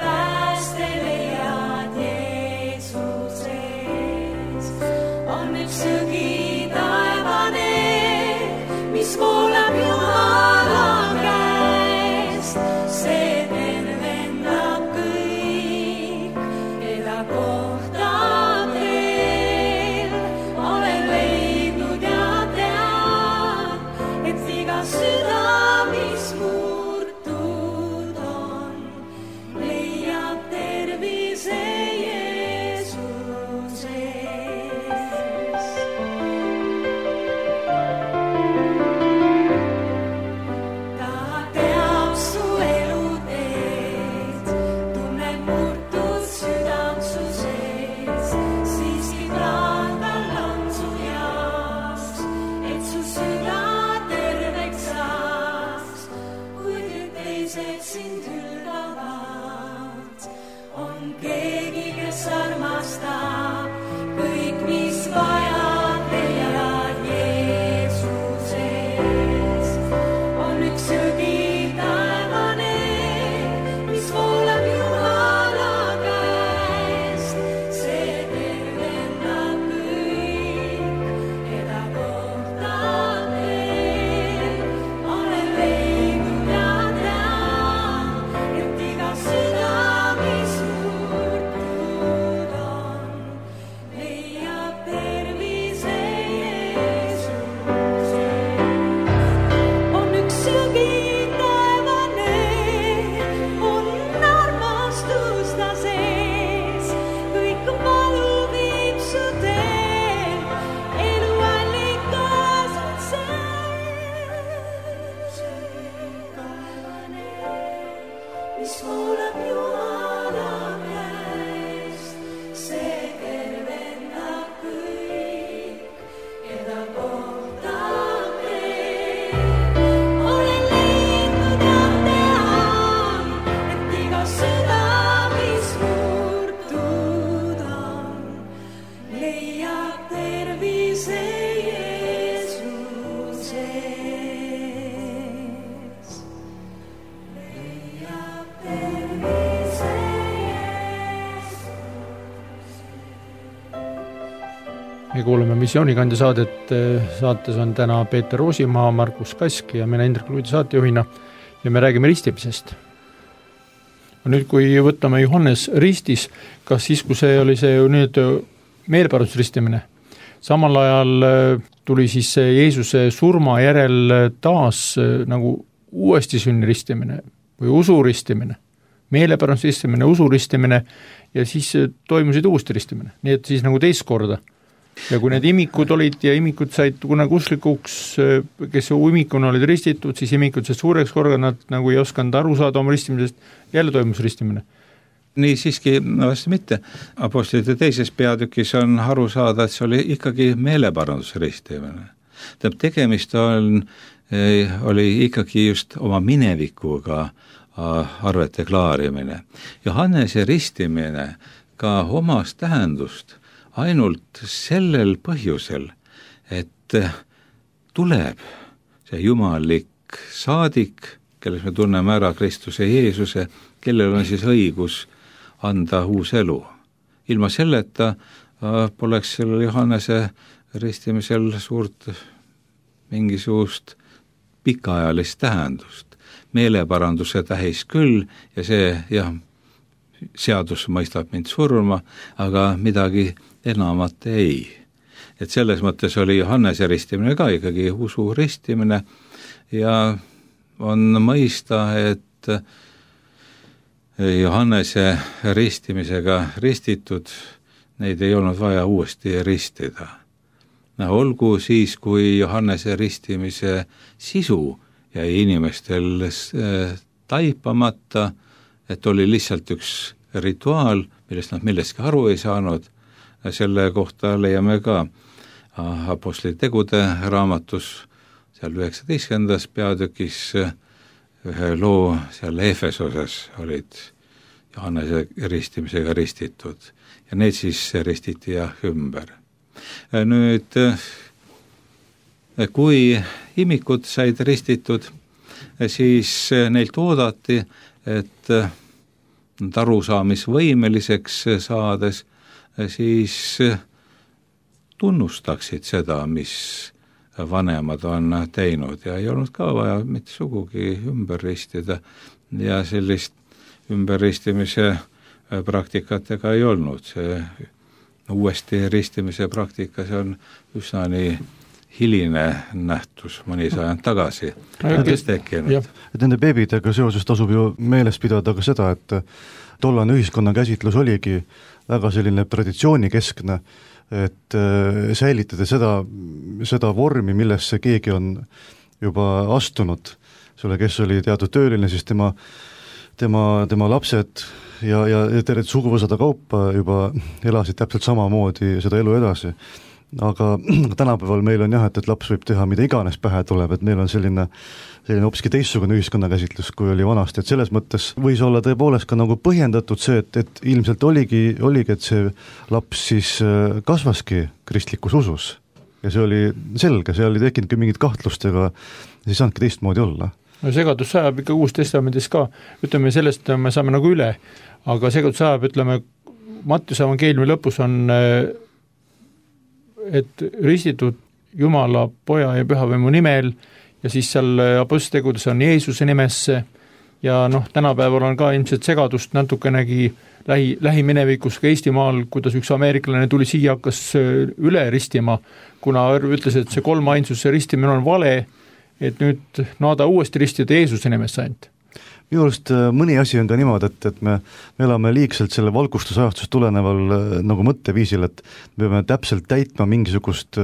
mis voolab Jumala käest, see tervendab kõik, keda kohtab teel. Olen leidnud ja tean, et iga süda, mis murtud on, leiab tervise me kuuleme Missioonikandja saadet, saates on täna Peeter Roosimaa, Markus Kask ja mina Indrek Luudi saatejuhina ja me räägime ristimisest. Nüüd, kui võtame Johannes ristis, kas siis, kui see oli see nüüd meeleparandusristimine, samal ajal tuli siis Jeesuse surma järel taas nagu uuesti sünni ristimine või usuristimine, meeleparandusristimine, usuristimine ja siis toimusid uuesti ristimine, nii et siis nagu teist korda. Ja kui need imikud olid ja imikud said kunagi uslikuks, kes imikuna olid ristitud, siis imikud said suureks korda, nad nagu ei osanud aru saada oma ristimisest, jälle toimus ristimine. Nii siiski vast mitte. Apostlite teises peatükis on aru saada, et see oli ikkagi meeleparandusristimine. Tähendab, tegemist on, oli ikkagi just oma minevikuga arvete klaarimine. Johannese ristimine ka omas tähendust ainult sellel põhjusel, et tuleb see jumallik saadik, kelles me tunneme ära Kristuse Jeesuse, kellel on siis õigus anda uus elu. Ilma selleta poleks sellel Johannese ristimisel suurt mingisugust pikaajalist tähendust. Meeleparanduse tähis küll ja see, jah, seadus mõistab mind surma, aga midagi enamat ei. Et selles mõttes oli Johannese ristimine ka ikkagi usu ristimine ja on mõista, et Johannese ristimisega ristitud, neid ei olnud vaja uuesti ristida. No, olgu siis, kui Johannese ristimise sisu jäi inimestel taipamata, et oli lihtsalt üks rituaal, millest nad millestki aru ei saanud, selle kohta leiame ka Apostlite tegude raamatus, seal üheksateistkümnendas peatükis ühe loo seal Efesoses olid Johannese ristimisega ristitud ja need siis ristiti jah ümber. Nüüd, kui imikud said ristitud, siis neilt oodati, et nad arusaamisvõimeliseks saades, siis tunnustaksid seda, mis vanemad on teinud ja ei olnud ka vaja mitte sugugi ümber ristida ja sellist ümberristimise praktikat ega ei olnud. See uuesti ristimise praktika, see on üsna nii hiline nähtus mõni sajand tagasi tekkinud. Et nende beebidega seoses tasub ju meeles pidada ka seda, et tollane ühiskonna käsitlus oligi väga selline traditsioonikeskne, et säilitada seda, seda vormi, millesse keegi on juba astunud, selle, kes oli teatud tööline, siis tema, tema, tema lapsed ja, ja tervet suguvõsade kaupa juba elasid täpselt samamoodi seda elu edasi. Aga tänapäeval meil on jah, et, et laps võib teha mida iganes pähe tuleb, et meil on selline, selline hoopiski teistsugune ühiskonnakäsitlus, kui oli vanasti, et selles mõttes võis olla tõepoolest ka nagu põhjendatud see, et, et ilmselt oligi, oligi, et see laps siis kasvaski kristlikus usus ja see oli selge, see oli tekkinud mingit kahtlust, ega siis saanudki teistmoodi olla. No segadus sajab ikka Uus Testamendis ka, ütleme sellest me saame nagu üle, aga segadus sajab, ütleme Mattiuse evangeeliumi lõpus on et ristitud Jumala, Poja ja Pühavaimu nimel ja siis seal apostlitegudes on Jeesuse nimesse ja noh, tänapäeval on ka ilmselt segadust natukenegi lähi, lähiminevikus ka Eestimaal, kuidas üks ameeriklane tuli siia, hakkas üle ristima, kuna ütles, et see kolmainsuse ristimine on vale, et nüüd naada uuesti ristida Jeesuse nimesse ainult. Minu arust mõni asi on ka niimoodi, et, et me, me elame liigselt selle valgustusajastust tuleneval nagu mõtteviisil, et me peame täpselt täitma mingisugust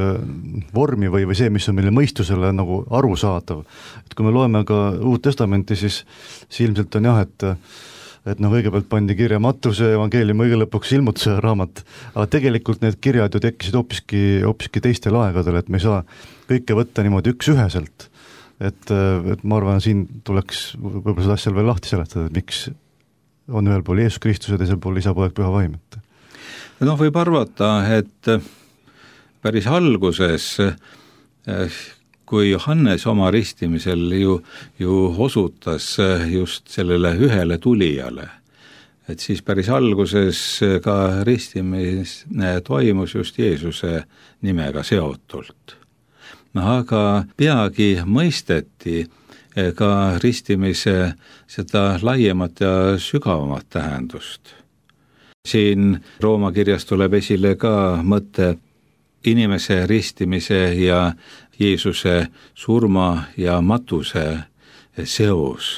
vormi või, või see, mis on meile mõistusele nagu arusaadav. Et kui me loeme ka Uut Testamenti, siis, siis ilmselt on jah, et et noh, kõigepealt pandi kirja Mattuse evangeeliumi, õige lõpuks ilmutuse raamat, aga tegelikult need kirjad ju tekkisid hoopiski, hoopiski teistel aegadel, et me ei saa kõike võtta niimoodi üks-üheselt. Et, et ma arvan, siin tuleks võib-olla seda asja veel lahti seletada, et miks on ühel pool Jeesus Kristus ja teisel pool Isa, Poeg, Püha Vaim. Noh, võib arvata, et päris alguses, kui Johannes oma ristimisel ju, ju osutas just sellele ühele tulijale, et siis päris alguses ka ristimine toimus just Jeesuse nimega seotult. Aga peagi mõisteti ka ristimise seda laiemat ja sügavamat tähendust. Siin Rooma kirjas tuleb esile ka mõte inimese ristimise ja Jeesuse surma ja matuse seos.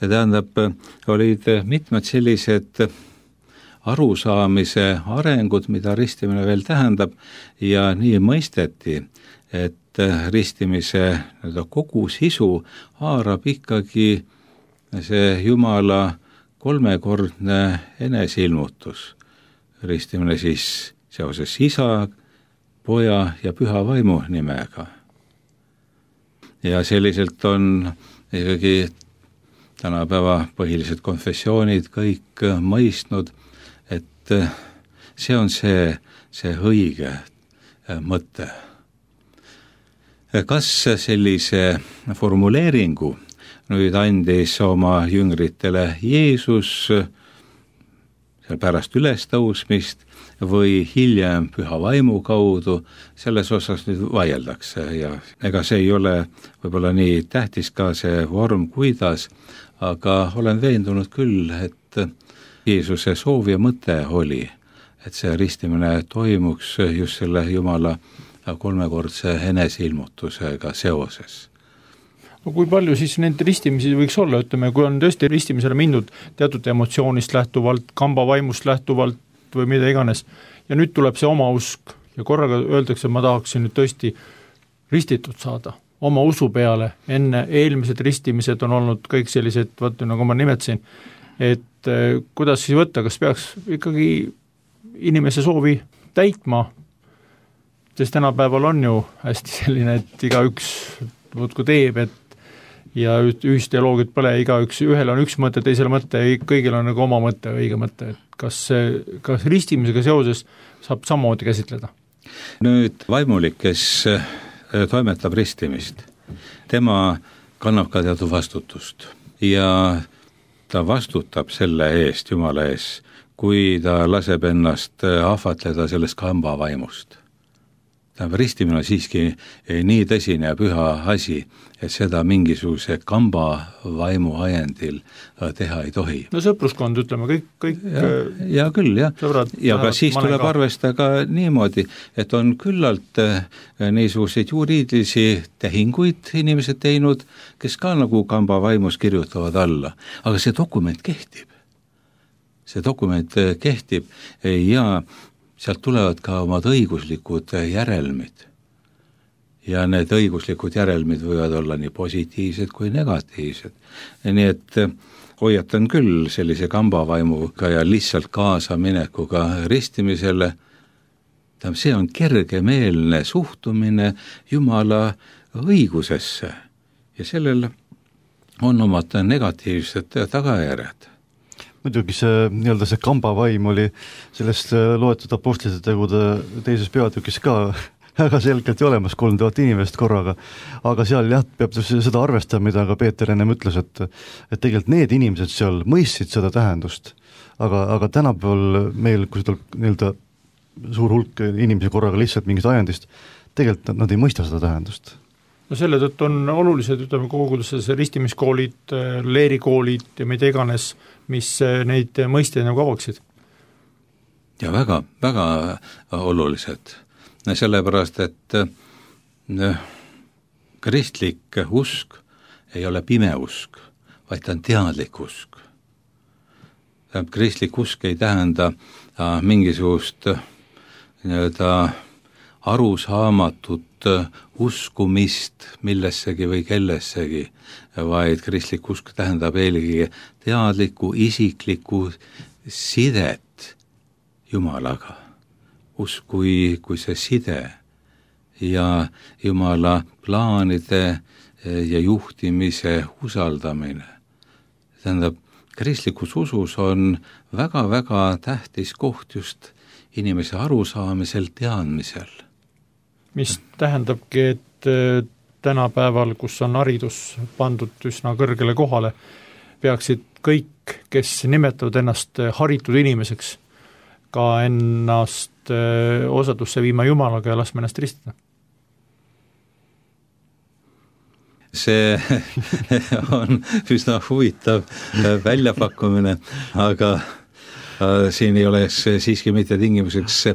Ja tähendab, olid mitmed sellised arusaamise arengud, mida ristimine veel tähendab ja nii mõisteti, et ristimise kogu sisu haarab ikkagi see Jumala kolmekordne enesilmutus. Ristimine siis seoses Isa, Poja ja Püha Vaimu nimega. Ja selliselt on ikkagi tänapäeva põhilised konfessioonid kõik mõistnud, et see on see, see õige mõte. Kas sellise formuleeringu nüüd andis oma jüngritele Jeesus pärast ülestõusmist või hiljem Püha Vaimu kaudu, selles osas nüüd vaieldakse ja ega see ei ole võib-olla nii tähtis ka see vorm, kuidas, aga olen veendunud küll, et Jeesuse soov ja mõte oli, et see ristimine toimuks just selle Jumala kolmekordse enesilmutusega seoses. No kui palju siis neid ristimisi võiks olla, ütleme, kui on tõesti ristimisele mindud teatud emotsioonist lähtuvalt, kamba vaimust lähtuvalt või mida iganes, ja nüüd tuleb see oma usk ja korraga öeldakse, ma tahaksin nüüd tõesti ristitud saada oma usu peale, enne eelmised ristimised on olnud kõik sellised, vaata nagu ma nimetasin, et kuidas siis võtta, kas peaks ikkagi inimese soovi täitma, sest tänapäeval on ju hästi selline, et igaüks võtku teeb, et ja ühisteoloogiat pole, igaüks, ühel on üks mõte, teisel mõte, kõigil on nagu oma mõte, õige mõte, et kas, kas ristimisega seoses saab samamoodi käsitleda? Nüüd vaimulik, kes toimetab ristimist, tema kannab ka teatud vastutust ja ta vastutab selle eest, Jumala ees, kui ta laseb ennast ahvatleda sellest kamba vaimust. tähendab, ristimine on siiski nii tõsine ja püha asi, et seda mingisuguse kamba vaimu ajendil teha ei tohi. No sõpruskond, ütleme, kõik, kõik ja, ja küll, jah. Sõbrad, ja ka siis tuleb ka arvestada ka niimoodi, et on küllalt niisuguseid juriidilisi tehinguid inimesed teinud, kes ka nagu kamba vaimus kirjutavad alla, aga see dokument kehtib. See dokument kehtib ja sealt tulevad ka omad õiguslikud järelmid. Ja need õiguslikud järelmid võivad olla nii positiivsed kui negatiivsed. Nii et hoiatan küll sellise kambavaimuga ja lihtsalt kaasaminekuga ristimisele. See on kergemeelne suhtumine Jumala õigusesse ja sellel on omad negatiivsed tagajärjed. Muidugi see, nii-öelda see kambavaim oli sellest loetud apostlite tegude teises peatükis ka väga selgelt olemas, kolm tuhat inimest korraga, aga seal jah, peab seda arvestama, mida ka Peeter ennem ütles, et, et tegelikult need inimesed seal mõistsid seda tähendust, aga, aga tänapäeval meil, kui tuleb nii-öelda suur hulk inimesi korraga lihtsalt mingist ajendist, tegelikult nad ei mõista seda tähendust. No selle tõttu on olulised, ütleme, koguduses ristimiskoolid, leerikoolid ja mida iganes, mis neid mõisteid nagu avaksid. Ja väga, väga olulised. Sellepärast, et kristlik usk ei ole pime usk, vaid ta on teadlik usk. Kristlik usk ei tähenda mingisugust nii-öelda arusaamatut uskumist millessegi või kellessegi, vaid kristlik usk tähendab eelkõige teadlikku, isiklikku sidet Jumalaga. Usk kui, kui see side ja Jumala plaanide ja juhtimise usaldamine. Tähendab, kristlikus usus on väga-väga tähtis koht just inimese arusaamisel, teadmisel. Mis tähendabki, et tänapäeval, kus on haridus pandud üsna kõrgele kohale, peaksid kõik, kes nimetavad ennast haritud inimeseks, ka ennast osadusse viima Jumalaga ja laskma ennast ristida. See on üsna huvitav väljapakkumine, aga siin ei oleks siiski mitte tingimuseks,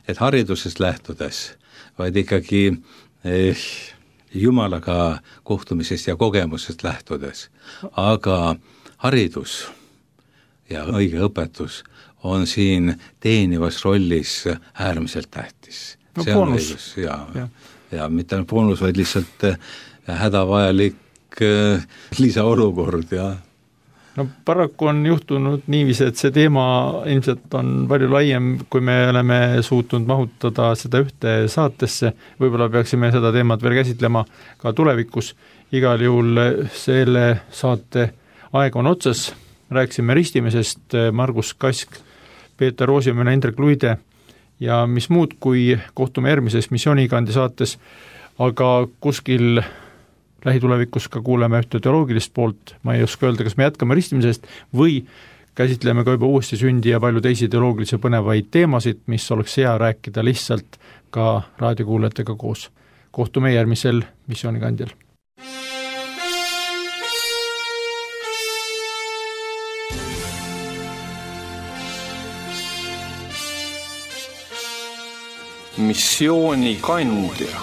et haridusest lähtudes, vaid ikkagi Jumalaga kohtumisest ja kogemusest lähtudes. Aga haridus ja õige õpetus on siin teenivas rollis äärmiselt tähtis. No, see on õigus ja, ja. ja mitte boonus, vaid lihtsalt hädavajalik lisaolukord ja no paraku on juhtunud niiviisi, et see teema ilmselt on palju laiem, kui me oleme suutnud mahutada seda ühte saatesse, võib-olla peaksime seda teemat veel käsitlema ka tulevikus. Igal juhul selle saate aeg on otsas, rääkisime ristimisest, Margus Kask, Peeter Roosimäe, Indrek Luide ja mis muud, kui kohtume järgmises Missioonikandi saates, aga kuskil lähitulevikus ka kuuleme ühte teoloogilist poolt, ma ei oska öelda, kas me jätkame ristimisest või käsitleme ka juba uuesti sündi ja palju teisi teoloogilisi põnevaid teemasid, mis oleks hea rääkida lihtsalt ka raadiokuulajatega koos. Kohtume järgmisel Missioonikandjal. Missioonikandja.